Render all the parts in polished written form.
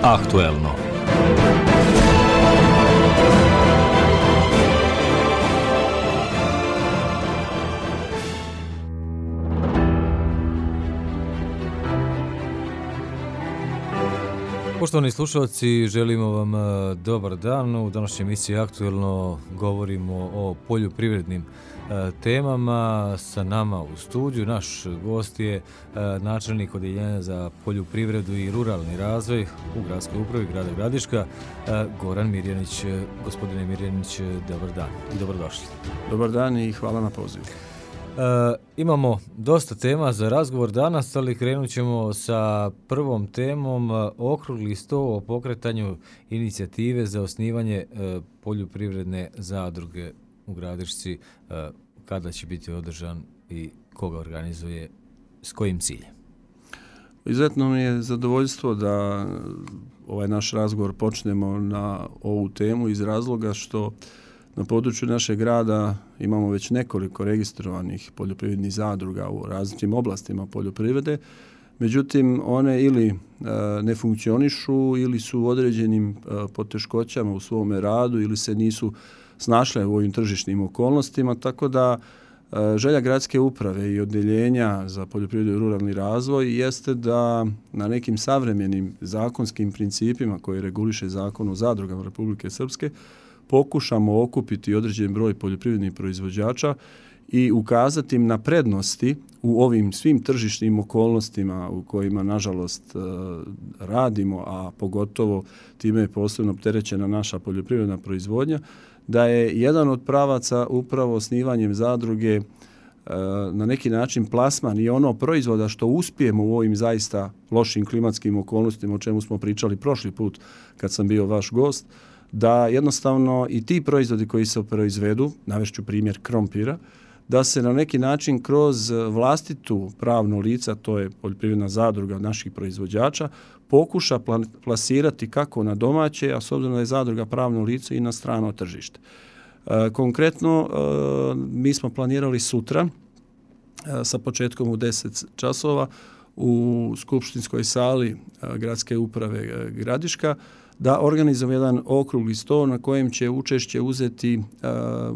Aktuelno. Poštovani slušalci, želimo vam dobar dan. U današnjoj emisiji Aktuelno govorimo o poljoprivrednim temama. Sa nama u studiju naš gost je načelnik Odeljenja za poljoprivredu i ruralni razvoj u Gradskoj upravi grada Gradiška, Goran Mirjanić. Gospodine Mirjanić, dobar dan i dobrodošli. Dobar dan i hvala na pozivu. Imamo dosta tema za razgovor danas, ali krenut ćemo sa prvom temom, okrugli sto o pokretanju inicijative za osnivanje poljoprivredne zadruge u Gradišci. Kada će biti održan i koga organizuje, s kojim ciljem? Izuzetno mi je zadovoljstvo da ovaj naš razgovor počnemo na ovu temu iz razloga što na području našeg grada imamo već nekoliko registrovanih poljoprivrednih zadruga u različitim oblastima poljoprivrede. Međutim, one ili ne funkcionišu ili su u određenim poteškoćama u svome radu ili se nisu snašle u ovim tržišnim okolnostima, tako da želja gradske uprave i odeljenja za poljoprivredu i ruralni razvoj jeste da na nekim savremenim zakonskim principima koji reguliše Zakon o zadrugama Republike Srpske pokušamo okupiti određen broj poljoprivrednih proizvođača i ukazati im na prednosti u ovim svim tržišnim okolnostima u kojima nažalost radimo, a pogotovo time je posebno opterećena naša poljoprivredna proizvodnja, da je jedan od pravaca upravo osnivanjem zadruge na neki način plasman i ono proizvoda što uspijemo u ovim zaista lošim klimatskim okolnostima, o čemu smo pričali prošli put kad sam bio vaš gost, da jednostavno i ti proizvodi koji se proizvedu, navešću primjer krompira, da se na neki način kroz vlastitu pravno lica, to je poljoprivredna zadruga naših proizvođača, pokuša plasirati kako na domaće, a s obzirom da je zadruga pravno lice i na strano tržište. Konkretno, mi smo planirali sutra sa početkom u 10 časova u skupštinskoj sali Gradske uprave Gradiška da organizujemo jedan okrugli sto na kojem će učešće uzeti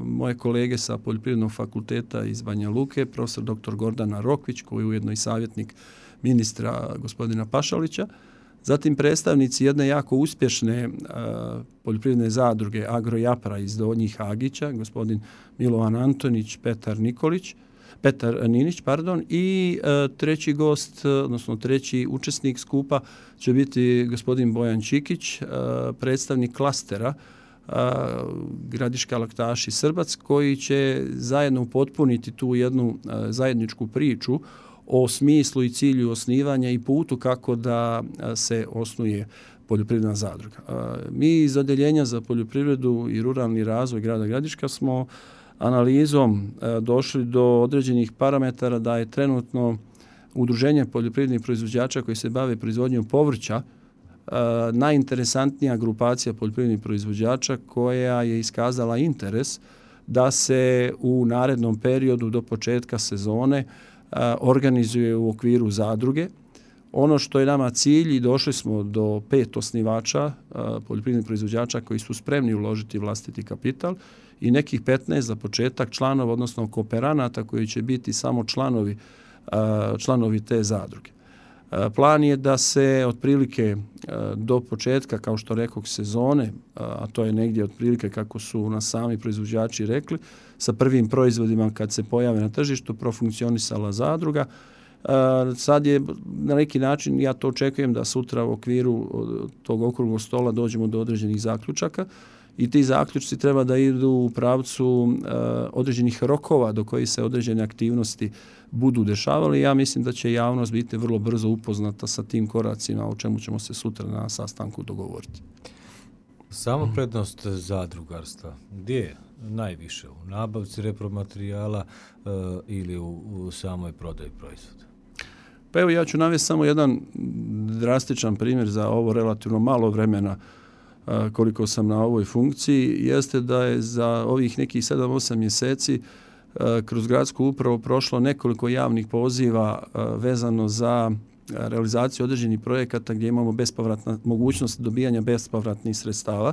moje kolege sa Poljoprivrednog fakulteta iz Banja Luke, profesor dr. Gordana Rokvić, koji je ujedno i savjetnik ministra gospodina Pašalića, zatim predstavnici jedne jako uspješne poljoprivredne zadruge Agrojapra iz Donjih Agića, gospodin Milovan Antonić, Petar Ninić, i treći gost, odnosno treći učesnik skupa će biti gospodin Bojan Čikić, predstavnik klastera Gradiška laktaši Srbac, koji će zajedno upotpuniti tu jednu zajedničku priču o smislu i cilju osnivanja i putu kako da se osnuje poljoprivredna zadruga. Mi iz Odeljenja za poljoprivredu i ruralni razvoj grada Gradiška smo analizom došli do određenih parametara da je trenutno udruženje poljoprivrednih proizvođača koji se bave proizvodnjom povrća najinteresantnija grupacija poljoprivrednih proizvođača koja je iskazala interes da se u narednom periodu do početka sezone organizuje u okviru zadruge. Ono što je nama cilj i došli smo do 5 osnivača poljoprivrednih proizvođača koji su spremni uložiti vlastiti kapital i nekih 15 za početak članova, odnosno kooperanata koji će biti samo članovi te zadruge. Plan je da se otprilike do početka, kao što rekoh, sezone, a to je negdje otprilike kako su nas sami proizvođači rekli, sa prvim proizvodima kad se pojave na tržištu profunkcionisala zadruga. Sad je na neki način, ja to očekujem da sutra u okviru tog okruglog stola dođemo do određenih zaključaka i ti zaključci treba da idu u pravcu određenih rokova do kojih se određene aktivnosti budu dešavali. Ja mislim da će javnost biti vrlo brzo upoznata sa tim koracima o čemu ćemo se sutra na sastanku dogovoriti. Samo prednost zadrugarstva, gdje je najviše? U nabavci repromaterijala ili u samoj prodaji proizvoda? Pa evo, ja ću navesti samo jedan drastičan primjer za ovo relativno malo vremena koliko sam na ovoj funkciji, jeste da je za ovih nekih 7-8 mjeseci kroz gradsku upravu prošlo nekoliko javnih poziva vezano za realizaciju određenih projekata gdje imamo mogućnost dobijanja bespovratnih sredstava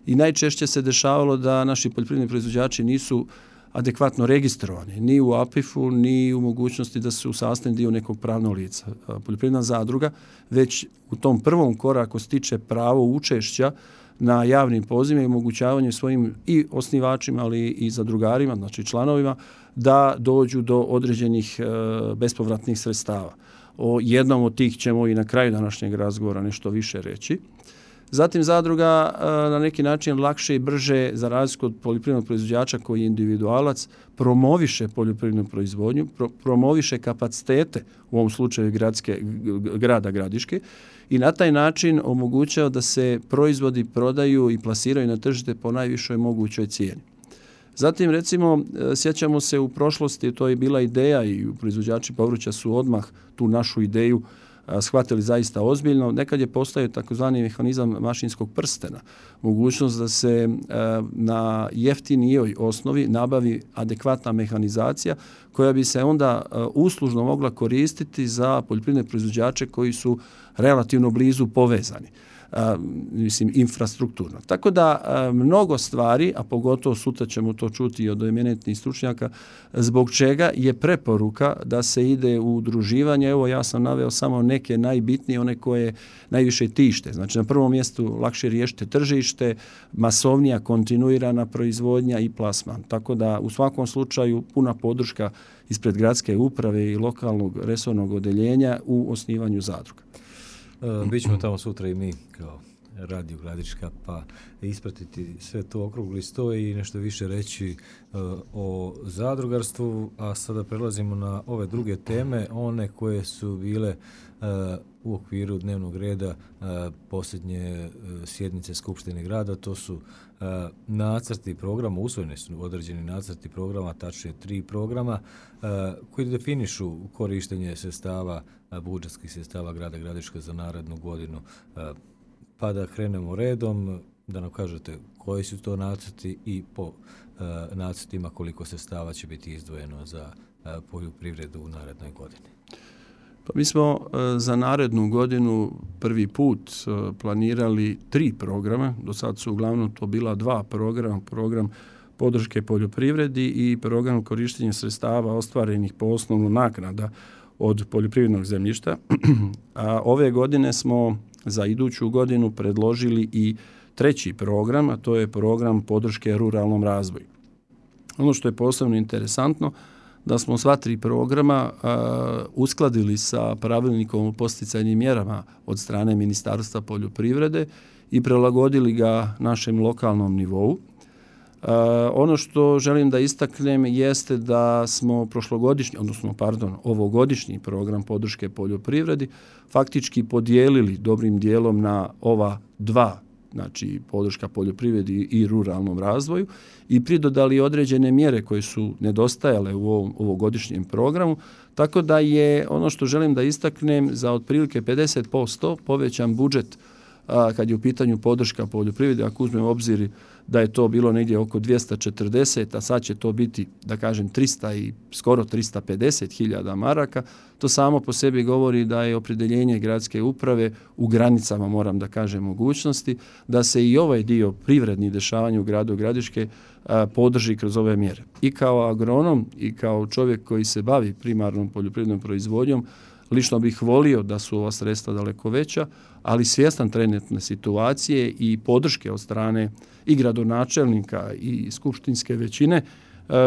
i najčešće se dešavalo da naši poljoprivredni proizvođači nisu adekvatno registrovani, ni u APIF-u, ni u mogućnosti da su sastavni dio nekog pravnog lica. Poljoprivredna zadruga već u tom prvom koraku stiče pravo učešća na javnim pozivima i omogućavanju svojim i osnivačima, ali i zadrugarima, znači članovima, da dođu do određenih bespovratnih sredstava. O jednom od tih ćemo i na kraju današnjeg razgovora nešto više reći. Zatim zadruga na neki način lakše i brže, za razliku od poljoprivrednog proizvođača koji je individualac, promoviše poljoprivrednu proizvodnju, promoviše kapacitete, u ovom slučaju grada Gradiške, i na taj način omogućava da se proizvodi prodaju i plasiraju na tržište po najvišoj mogućoj cijeni. Zatim, recimo, sjećamo se u prošlosti, to je bila ideja i proizvođači povrća su odmah tu našu ideju shvatili zaista ozbiljno. Nekad je postojao takozvani mehanizam mašinskog prstena. Mogućnost da se na jeftinijoj osnovi nabavi adekvatna mehanizacija koja bi se onda uslužno mogla koristiti za poljoprivredne proizvođače koji su relativno blizu povezani. Infrastrukturno. Tako da mnogo stvari, a pogotovo sutra ćemo to čuti od eminentnih stručnjaka, zbog čega je preporuka da se ide u udruživanje. Evo, ja sam naveo samo neke najbitnije, one koje najviše tište. Znači, na prvom mjestu lakše riješite tržište, masovnija, kontinuirana proizvodnja i plasman. Tako da u svakom slučaju puna podrška ispred gradske uprave i lokalnog resornog odeljenja u osnivanju zadruga. Bićemo tamo sutra i mi kao Radio Gradiška, pa ispratiti sve to okrugli sto i nešto više reći o zadrugarstvu, a sada prelazimo na ove druge teme, one koje su bile u okviru dnevnog reda posljednje sjednice Skupštine grada. To su nacrti programa, usvojeni su određeni nacrti programa, tačnije 3 programa koji definišu korištenje sredstava, budžetskih sredstava grada Gradiška za narednu godinu. Pa da krenemo redom, da nam kažete koji su to nacrti i po nacrtima koliko sredstava će biti izdvojeno za poljoprivredu u narednoj godini. Pa mi smo za narednu godinu prvi put planirali 3 programa. Do sad su uglavnom to bila 2 programa. Program podrške poljoprivredi i program korištenja sredstava ostvarenih po osnovu naknada od poljoprivrednog zemljišta. A ove godine smo za iduću godinu predložili i 3. program, a to je program podrške ruralnom razvoju. Ono što je posebno interesantno, da smo sva 3 programa uskladili sa pravilnikom o podsticajnim mjerama od strane Ministarstva poljoprivrede i prilagodili ga našem lokalnom nivou. Ono što želim da istaknem jeste da smo ovogodišnji program podrške poljoprivredi faktički podijelili dobrim dijelom na ova 2, znači podrška poljoprivredi i ruralnom razvoju, i pridodali određene mjere koje su nedostajale u ovogodišnjem programu, tako da je ono što želim da istaknem za otprilike 50% povećan budžet kad je u pitanju podrška poljoprivredi, ako uzmemo u obzir da je to bilo negdje oko 240, a sad će to biti, da kažem, 300 i skoro 350.000 maraka, to samo po sebi govori da je opredjeljenje gradske uprave u granicama, moram da kažem, mogućnosti, da se i ovaj dio privrednih dešavanja u gradu Gradiške podrži kroz ove mjere. I kao agronom i kao čovjek koji se bavi primarnom poljoprivrednom proizvodnjom, lično bih volio da su ova sredstva daleko veća, ali svjestan trenutne situacije i podrške od strane i gradonačelnika i skupštinske većine,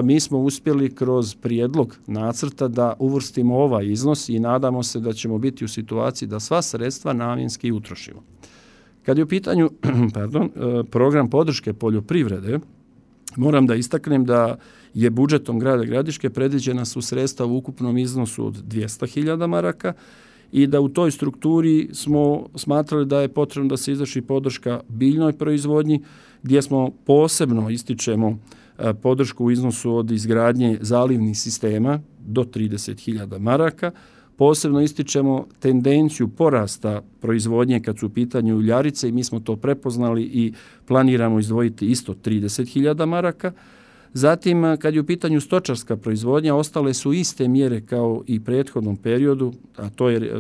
mi smo uspjeli kroz prijedlog nacrta da uvrstimo ovaj iznos i nadamo se da ćemo biti u situaciji da sva sredstva namjenski utrošimo. Kad je u pitanju program podrške poljoprivrede, moram da istaknem da je budžetom grada Gradiške predviđena su sredstva u ukupnom iznosu od 200.000 maraka i da u toj strukturi smo smatrali da je potrebno da se izvrši podrška biljnoj proizvodnji, gdje smo posebno ističemo podršku u iznosu od izgradnje zalivnih sistema do 30.000 maraka. Posebno ističemo tendenciju porasta proizvodnje kad su u pitanju uljarice i mi smo to prepoznali i planiramo izdvojiti isto 30.000 maraka. Zatim, kad je u pitanju stočarska proizvodnja, ostale su iste mjere kao i prethodnom periodu, a to je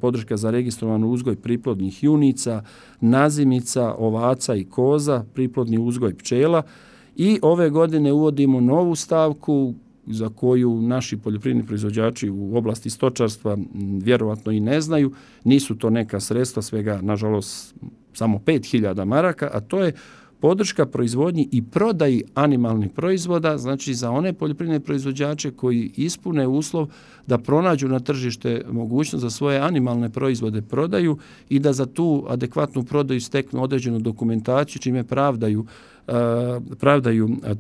podrška za registrovan uzgoj priplodnih junica, nazimica, ovaca i koza, priplodni uzgoj pčela. I ove godine uvodimo novu stavku za koju naši poljoprivredni proizvođači u oblasti stočarstva vjerovatno i ne znaju. Nisu to neka sredstva, svega nažalost samo 5.000 maraka, a to je podrška proizvodnji i prodaji animalnih proizvoda, znači za one poljoprivredne proizvođače koji ispune uslov da pronađu na tržište mogućnost za svoje animalne proizvode prodaju i da za tu adekvatnu prodaju steknu određenu dokumentaciju čime pravdaju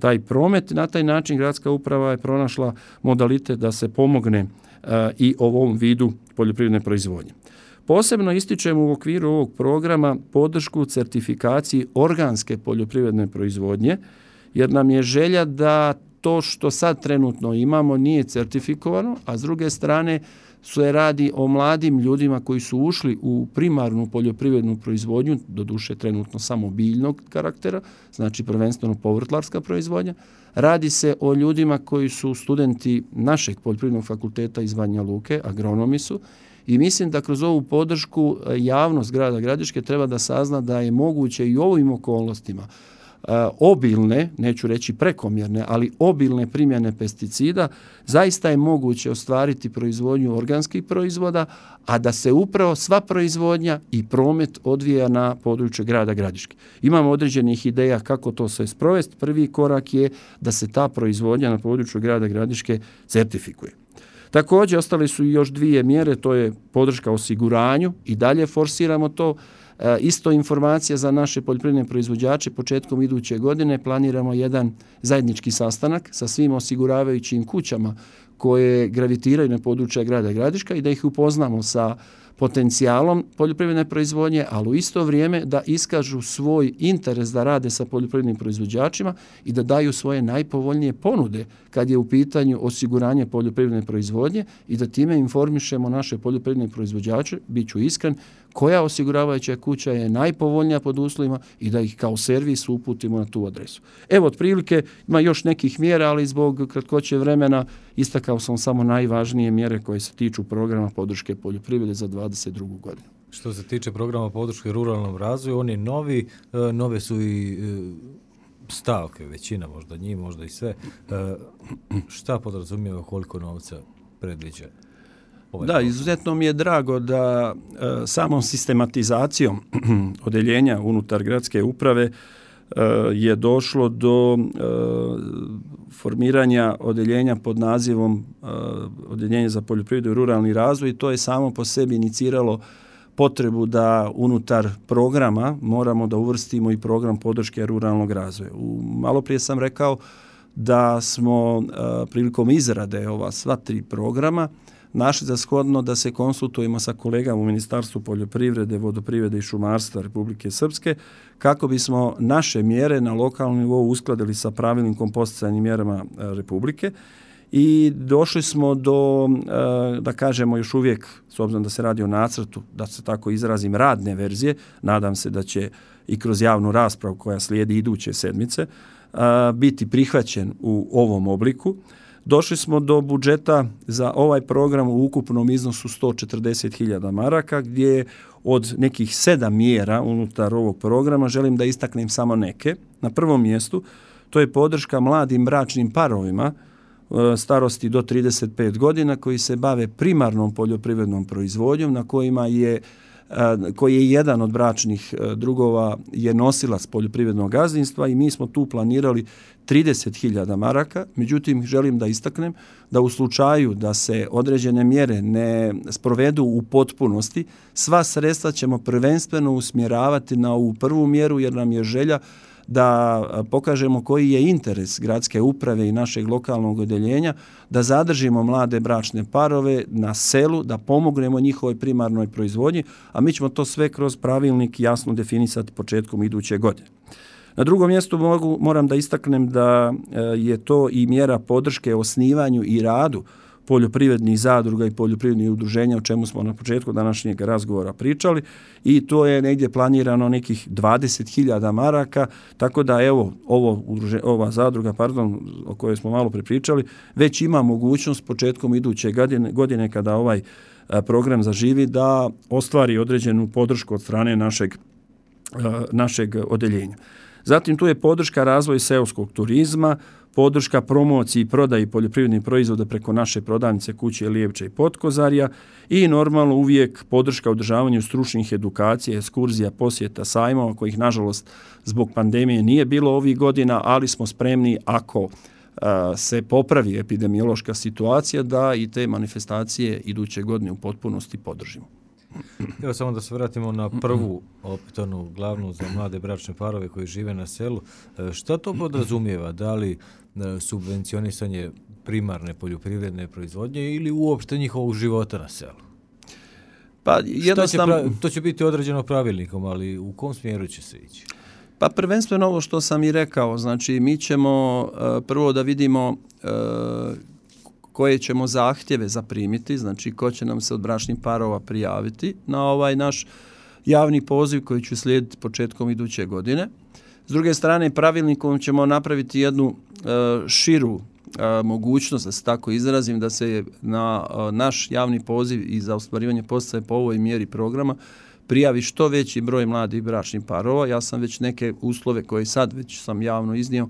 taj promet. Na taj način gradska uprava je pronašla modalitet da se pomogne i ovom vidu poljoprivredne proizvodnje. Posebno ističemo u okviru ovog programa podršku certifikaciji organske poljoprivredne proizvodnje, jer nam je želja da to što sad trenutno imamo nije certifikovano, a s druge strane se radi o mladim ljudima koji su ušli u primarnu poljoprivrednu proizvodnju, doduše trenutno samo biljnog karaktera, znači prvenstveno povrtlarska proizvodnja. Radi se o ljudima koji su studenti našeg poljoprivrednog fakulteta iz Banja Luke, agronomi su, i mislim da kroz ovu podršku javnost grada Gradiške treba da sazna da je moguće i u ovim okolnostima obilne, neću reći prekomjerne, ali obilne primjene pesticida, zaista je moguće ostvariti proizvodnju organskih proizvoda, a da se upravo sva proizvodnja i promet odvija na području grada Gradiške. Imamo određenih ideja kako to se sprovesti. Prvi korak je da se ta proizvodnja na području grada Gradiške certifikuje. Također, ostale su još dvije mjere, to je podrška osiguranju i dalje forsiramo to. Isto informacija za naše poljoprivredne proizvođače, početkom iduće godine planiramo jedan zajednički sastanak sa svim osiguravajućim kućama koje gravitiraju na područja grada Gradiška i da ih upoznamo sa potencijalom poljoprivredne proizvodnje, ali u isto vrijeme da iskažu svoj interes da rade sa poljoprivrednim proizvođačima i da daju svoje najpovoljnije ponude kad je u pitanju osiguranje poljoprivredne proizvodnje i da time informišemo naše poljoprivredne proizvođače, bit ću iskren, koja osiguravajuća kuća je najpovoljnija pod uslovima i da ih kao servis uputimo na tu adresu. Evo, otprilike ima još nekih mjera, ali zbog kratkoće vremena istakao sam samo najvažnije mjere koje se tiču programa podrške poljoprivrede za 2022. godinu. Što se tiče programa podrške ruralnom razvoju, on je novi, nove su i stavke, većina možda njih, možda i sve. Šta podrazumijeva, koliko novca predviđa? Da, izuzetno mi je drago da samom sistematizacijom odeljenja unutar gradske uprave je došlo do formiranja odeljenja pod nazivom Odeljenje za poljoprivredu i ruralni razvoj i to je samo po sebi iniciralo potrebu da unutar programa moramo da uvrstimo i program podrške ruralnog razvoja. Malo prije sam rekao da smo prilikom izrade ova sva tri programa našli za shodno da se konsultujemo sa kolegama u Ministarstvu poljoprivrede, vodoprivrede i šumarstva Republike Srpske kako bismo naše mjere na lokalnom nivou uskladili sa pravilnikom podsticajnim mjerama Republike i došli smo do, da kažemo još uvijek, s obzirom da se radi o nacrtu, da se tako izrazim, radne verzije, nadam se da će i kroz javnu raspravu koja slijedi iduće sedmice biti prihvaćen u ovom obliku. Došli smo do budžeta za ovaj program u ukupnom iznosu 140.000 maraka, gdje od nekih 7 mjera unutar ovog programa želim da istaknem samo neke. Na prvom mjestu to je podrška mladim bračnim parovima starosti do 35 godina koji se bave primarnom poljoprivrednom proizvodnjom na koji je jedan od bračnih drugova je nosilac poljoprivrednog gazdinstva i mi smo tu planirali 30.000 maraka. Međutim, želim da istaknem da u slučaju da se određene mjere ne sprovedu u potpunosti, sva sredstva ćemo prvenstveno usmjeravati na ovu prvu mjeru jer nam je želja da pokažemo koji je interes gradske uprave i našeg lokalnog odeljenja, da zadržimo mlade bračne parove na selu, da pomognemo njihovoj primarnoj proizvodnji, a mi ćemo to sve kroz pravilnik jasno definisati početkom iduće godine. Na drugom mjestu moram da istaknem da je to i mjera podrške osnivanju i radu poljoprivrednih zadruga i poljoprivrednih udruženja, o čemu smo na početku današnjeg razgovora pričali, i to je negdje planirano nekih 20.000 maraka, tako da evo ova zadruga, o kojoj smo malo pričali, već ima mogućnost početkom iduće godine kada ovaj program zaživi da ostvari određenu podršku od strane našeg odeljenja. Zatim tu je podrška razvoju seoskog turizma, podrška promociji i prodaji poljoprivrednih proizvoda preko naše prodavnice Kuće Lijevče i Potkozarja i normalno uvijek podrška održavanju stručnih edukacija, ekskurzija, posjeta, sajmova kojih nažalost zbog pandemije nije bilo ovih godina, ali smo spremni ako se popravi epidemiološka situacija da i te manifestacije iduće godine u potpunosti podržimo. Evo samo da se vratimo na prvu opet onu glavnu za mlade bračne parove koji žive na selu. Šta to podrazumijeva? Da li subvencionisanje primarne poljoprivredne proizvodnje ili uopšte njihovog života na selu? Pa jednostavno to će biti određeno pravilnikom, ali u kom smjeru će se ići? Pa prvenstveno ovo što sam i rekao, znači mi ćemo prvo da vidimo koje ćemo zahtjeve zaprimiti, znači ko će nam se od bračnih parova prijaviti na ovaj naš javni poziv koji će slijediti početkom iduće godine. S druge strane, pravilnikom ćemo napraviti jednu širu mogućnost, da se tako izrazim, da se na naš javni poziv i za ostvarivanje podsticaja po ovoj mjeri programa prijavi što veći broj mladih bračnih parova. Ja sam već neke uslove koje sad već sam javno iznio,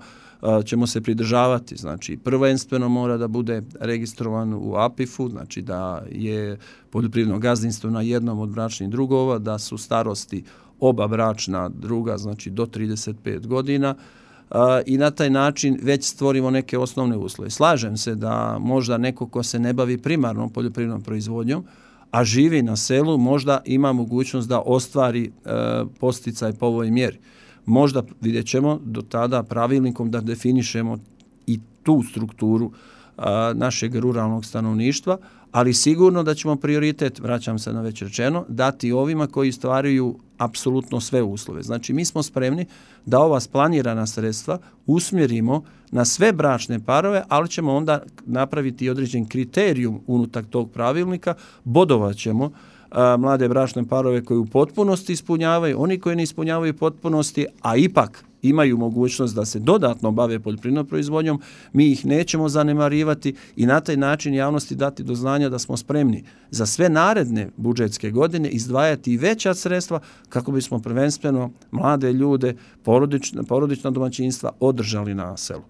ćemo se pridržavati. Znači, prvenstveno mora da bude registrovan u APIF-u, znači da je poljoprivredno gazdinstvo na jednom od bračnih drugova, da su starosti oba bračna druga, znači do 35 godina, i na taj način već stvorimo neke osnovne uslove. Slažem se da možda neko ko se ne bavi primarnom poljoprivrednom proizvodnjom, a živi na selu, možda ima mogućnost da ostvari podsticaj po ovoj mjeri. Možda vidjet ćemo do tada pravilnikom da definišemo i tu strukturu našeg ruralnog stanovništva, ali sigurno da ćemo prioritet, vraćam se na već rečeno, dati ovima koji stvaraju apsolutno sve uslove. Znači mi smo spremni da ova splanirana sredstva usmjerimo na sve bračne parove, ali ćemo onda napraviti određen kriterijum unutar tog pravilnika, bodovat ćemo mlade bračne parove koji u potpunosti ispunjavaju, oni koji ne ispunjavaju potpunosti, a ipak imaju mogućnost da se dodatno bave poljoprivrednom proizvodnjom, mi ih nećemo zanemarivati i na taj način javnosti dati do znanja da smo spremni za sve naredne budžetske godine izdvajati i veća sredstva kako bismo prvenstveno mlade ljude, porodična domaćinstva održali na selu.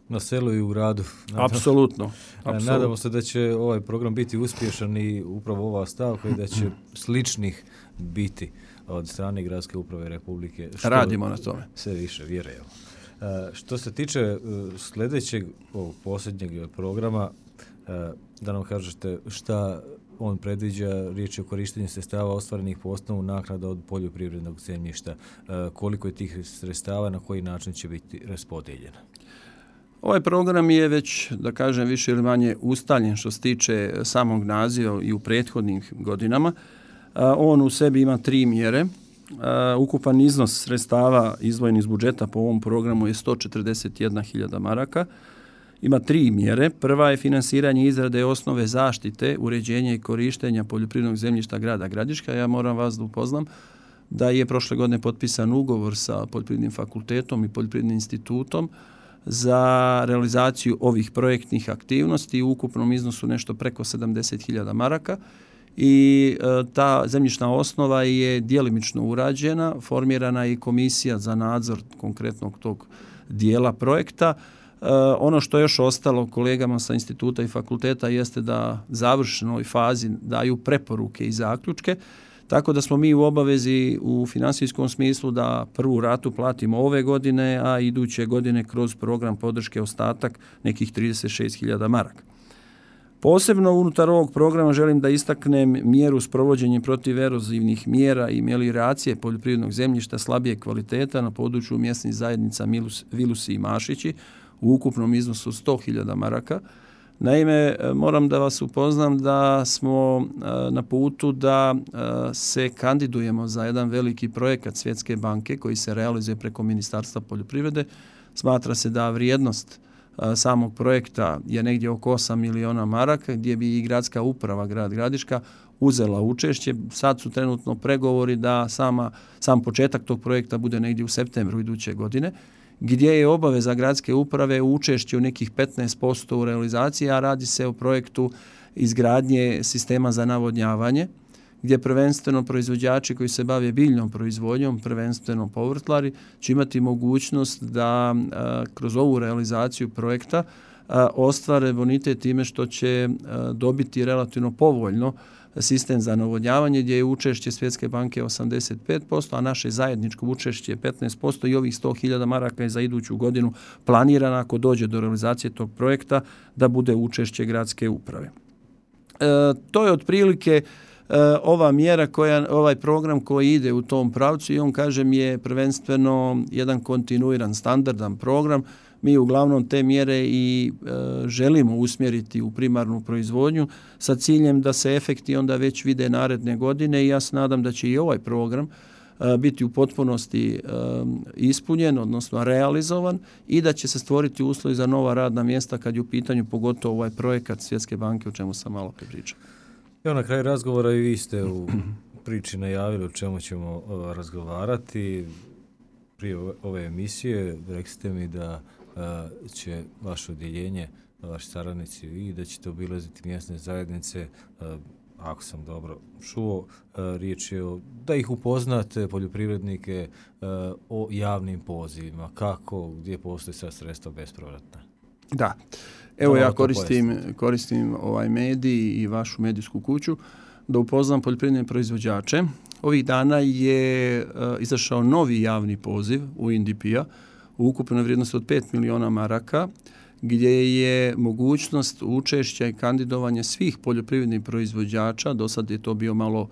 Na selu i u gradu. Apsolutno. Nadamo se da će ovaj program biti uspješan i upravo ova stavka i da će sličnih biti od strane Gradske uprave Republike. Radimo na tome. Sve više, vjerujemo. Što se tiče sljedećeg, ovog posljednjeg programa, da nam kažete šta on predviđa, riječ je o korištenju sredstava ostvarenih po osnovu naknada od poljoprivrednog zemljišta. Koliko je tih sredstava, na koji način će biti raspodijeljena? Ovaj program je već, da kažem, više ili manje ustaljen što se tiče samog naziva i u prethodnim godinama. On u sebi ima 3 mjere. Ukupan iznos sredstava izdvojenih iz budžeta po ovom programu je 141.000 maraka. Ima 3 mjere. Prva je finansiranje izrade osnove zaštite, uređenja i korištenja poljoprivrednog zemljišta grada Gradiška. Ja moram vas da upoznam da je prošle godine potpisan ugovor sa Poljoprivrednim fakultetom i Poljoprivrednim institutom za realizaciju ovih projektnih aktivnosti u ukupnom iznosu nešto preko 70.000 maraka i ta zemljišna osnova je djelimično urađena, formirana je komisija za nadzor konkretnog tog dijela projekta. Ono što je još ostalo kolegama sa instituta i fakulteta jeste da završnoj fazi daju preporuke i zaključke, tako da smo mi u obavezi u financijskom smislu da prvu ratu platimo ove godine, a iduće godine kroz program podrške ostatak nekih 36.000 maraka. Posebno unutar ovog programa želim da istaknem mjeru sprovođenja protiv erozivnih mjera i melioracije poljoprivrednog zemljišta slabije kvaliteta na području mjesnih zajednica Vilusi i Mašići u ukupnom iznosu 100.000 maraka. Naime, moram da vas upoznam da smo na putu da se kandidujemo za jedan veliki projekat Svjetske banke koji se realizuje preko Ministarstva poljoprivrede. Smatra se da vrijednost samog projekta je negdje oko 8 miliona maraka, gdje bi i gradska uprava grad Gradiška uzela učešće. Sad su trenutno pregovori da sam početak tog projekta bude negdje u septembru iduće godine, gdje je obaveza gradske uprave učešće u nekih 15% u realizaciji, a radi se o projektu izgradnje sistema za navodnjavanje, gdje prvenstveno proizvođači koji se bave biljnom proizvodnjom, prvenstveno povrtlari, će imati mogućnost da kroz ovu realizaciju projekta ostvare bonitet time što će dobiti relativno povoljno sistem za navodnjavanje, gdje je učešće Svjetske banke 85%, a naše zajedničko učešće je 15% i ovih 100.000 maraka je za iduću godinu planirano, ako dođe do realizacije tog projekta, da bude učešće gradske uprave. To je otprilike ova mjera, ovaj program koji ide u tom pravcu i on, kažem, je prvenstveno jedan kontinuiran, standardan program. Mi uglavnom te mjere i želimo usmjeriti u primarnu proizvodnju sa ciljem da se efekti onda već vide naredne godine i ja se nadam da će i ovaj program biti u potpunosti ispunjen, odnosno realizovan i da će se stvoriti uslovi za nova radna mjesta kad je u pitanju pogotovo ovaj projekat Svjetske banke o čemu sam malo pričao. Evo, na kraju razgovora i vi ste u priči najavili o čemu ćemo razgovarati. Prije ove emisije rekli ste mi da će vaše odjeljenje, vaši saradnici i da ćete obilaziti mjesne zajednice, ako sam dobro čuo, riječ je da ih upoznate, poljoprivrednike, o javnim pozivima, kako, gdje postoje sad sredstva bespovratna. Da. Evo ja koristim ovaj medij i vašu medijsku kuću da upoznam poljoprivredne proizvođače. Ovih dana je izašao novi javni poziv UNDP-a u ukupnoj vrijednosti od 5 miliona maraka, gdje je mogućnost učešća i kandidovanja svih poljoprivrednih proizvođača. Do sad je to bio malo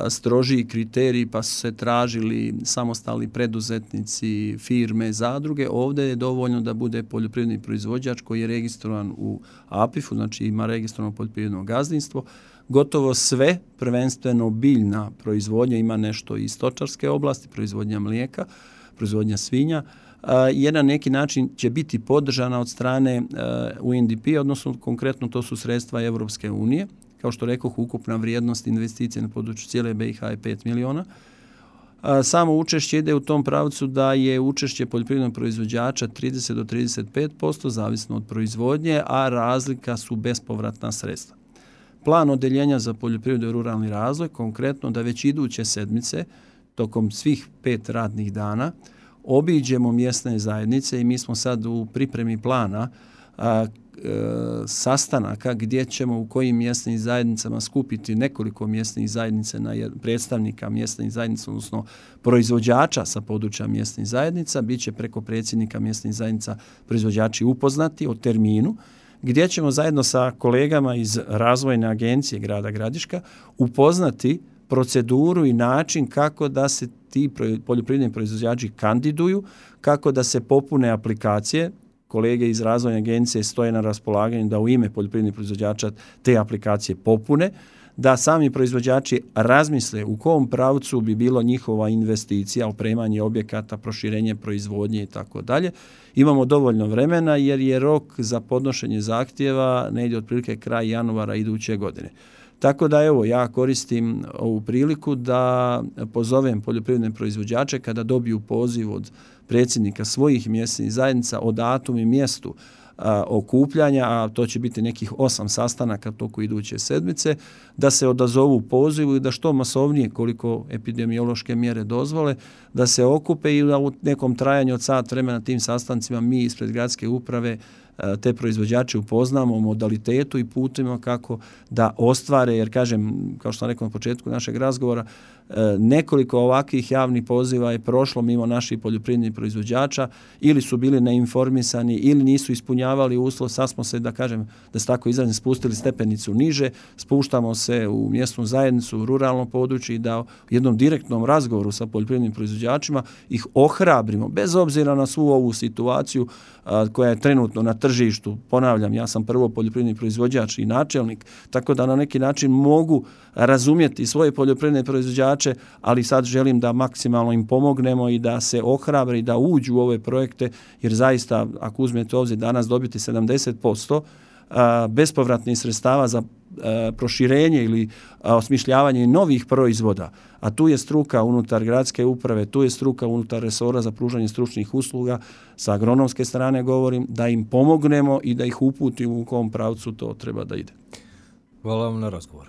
strožiji kriterij, pa su se tražili samostalni preduzetnici, firme, zadruge. Ovdje je dovoljno da bude poljoprivredni proizvođač koji je registrovan u APIF-u, znači ima registrovano poljoprivredno gazdinstvo. Gotovo sve, prvenstveno biljna proizvodnja, ima nešto iz stočarske oblasti, proizvodnja mlijeka, proizvodnja svinja, je na neki način će biti podržana od strane UNDP, odnosno konkretno to su sredstva Europske unije. Kao što rekoh, ukupna vrijednost investicije na području cijele BiH je 5 miliona. Samo učešće ide u tom pravcu da je učešće poljoprivrednog proizvođača 30 do 35%, zavisno od proizvodnje, a razlika su bespovratna sredstva. Plan odeljenja za poljoprivredu i ruralni razvoj, konkretno da već iduće sedmice, tokom svih 5 radnih dana, obiđemo mjesne zajednice i mi smo sad u pripremi plana sastanaka gdje ćemo u kojim mjesnim zajednicama skupiti nekoliko mjesnih zajednica, predstavnika mjesnih zajednica, odnosno proizvođača sa područja mjesnih zajednica. Biće preko predsjednika mjesnih zajednica proizvođači upoznati o terminu, gdje ćemo zajedno sa kolegama iz Razvojne agencije grada Gradiška upoznati proceduru i način kako da se ti poljoprivredni proizvođači kandiduju, kako da se popune aplikacije. Kolege iz Razvojne agencije stoje na raspolaganju da u ime poljoprivrednih proizvođača te aplikacije popune, da sami proizvođači razmisle u kom pravcu bi bilo njihova investicija, opremanje objekata, proširenje proizvodnje i tako dalje. Imamo dovoljno vremena jer je rok za podnošenje zahtjeva negdje otprilike kraj januara iduće godine. Tako da evo, ja koristim ovu priliku da pozovem poljoprivredne proizvođače kada dobiju poziv od predsjednika svojih mjesnih zajednica o datumu i mjestu okupljanja, a to će biti nekih 8 sastanaka toku iduće sedmice, da se odazovu pozivu i da što masovnije, koliko epidemiološke mjere dozvole, da se okupe i da u nekom trajanju od sat vremena tim sastancima mi ispred gradske uprave te proizvođače upoznamo o modalitetu i putima kako da ostvare, jer kažem, kao što sam rekao na početku našeg razgovora, nekoliko ovakvih javnih poziva je prošlo mimo naših poljoprivrednih proizvođača, ili su bili neinformisani ili nisu ispunjavali uslov. Sad smo se, da kažem, da se tako izrazim, spustili stepenicu niže, spuštamo se u mjesnu zajednicu, u ruralno područje i da u jednom direktnom razgovoru sa poljoprivrednim proizvođačima ih ohrabrimo, bez obzira na svu ovu situaciju koja je trenutno na tržištu. Ponavljam, ja sam prvo poljoprivredni proizvođač i načelnik, tako da na neki način mogu razumjeti svoje poljoprivredne proizvođače, ali sad želim da maksimalno im pomognemo i da se ohrabre i da uđu u ove projekte, jer zaista, ako uzmete obzir danas dobiti 70% bespovratnih sredstava za proširenje ili osmišljavanje novih proizvoda, a tu je struka unutar gradske uprave, tu je struka unutar resora za pružanje stručnih usluga, sa agronomske strane govorim, da im pomognemo i da ih uputimo u kom pravcu to treba da ide. Hvala vam na razgovor.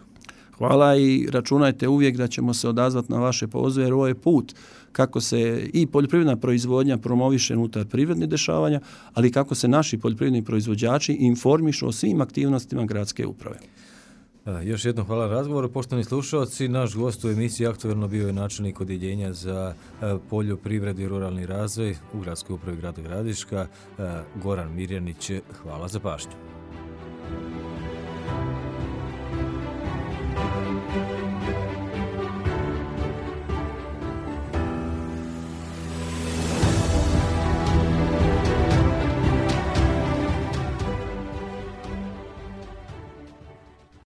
Hvala i računajte uvijek da ćemo se odazvati na vaše pozive, jer ovo je put kako se i poljoprivredna proizvodnja promoviše unutar privrednih dešavanja, ali kako se naši poljoprivredni proizvođači informišu o svim aktivnostima gradske uprave. Još jednom hvala na razgovoru. Poštovani slušalci, naš gost u emisiji aktuelno bio je načelnik Odjeljenja za poljoprivredu i ruralni razvoj u Gradskoj upravi grada Gradiška, Goran Mirjanić. Hvala za pažnju.